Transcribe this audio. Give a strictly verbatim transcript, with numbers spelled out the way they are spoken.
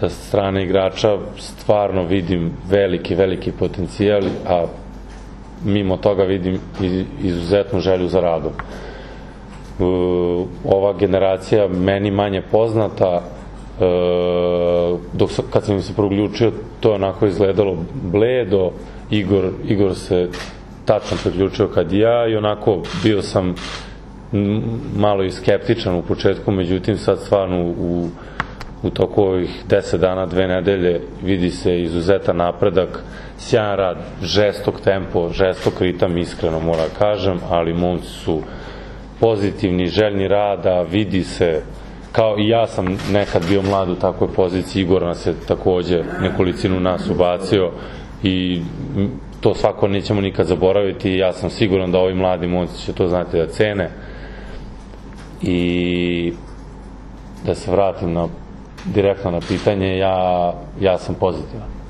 sa strane igrača stvarno vidim veliki, veliki potencijal, a mimo toga vidim izuzetnu želju za radom. Ova generacija meni manje poznata, dok kad sam im se progljučio to je onako izgledalo bledo, Igor, Igor se tačno priključio kad i ja i onako bio sam malo i skeptičan u početku, međutim sad stvarno u, u toku ovih deset dana, dve nedelje vidi se izuzetan napredak, sjajan rad, žestok tempo, žestok ritam, iskreno moram kažem, ali momci su pozitivni, željni rada, vidi se, kao i ja sam nekad bio mlad u takvoj poziciji, Igor nas je takođe nekolicinu nas ubacio i to svako nećemo nikad zaboraviti i ja sam siguran da ovi mladi momci će to znati da cene. I da se vratim na, direktno na pitanje, ja, ja sam pozitivan.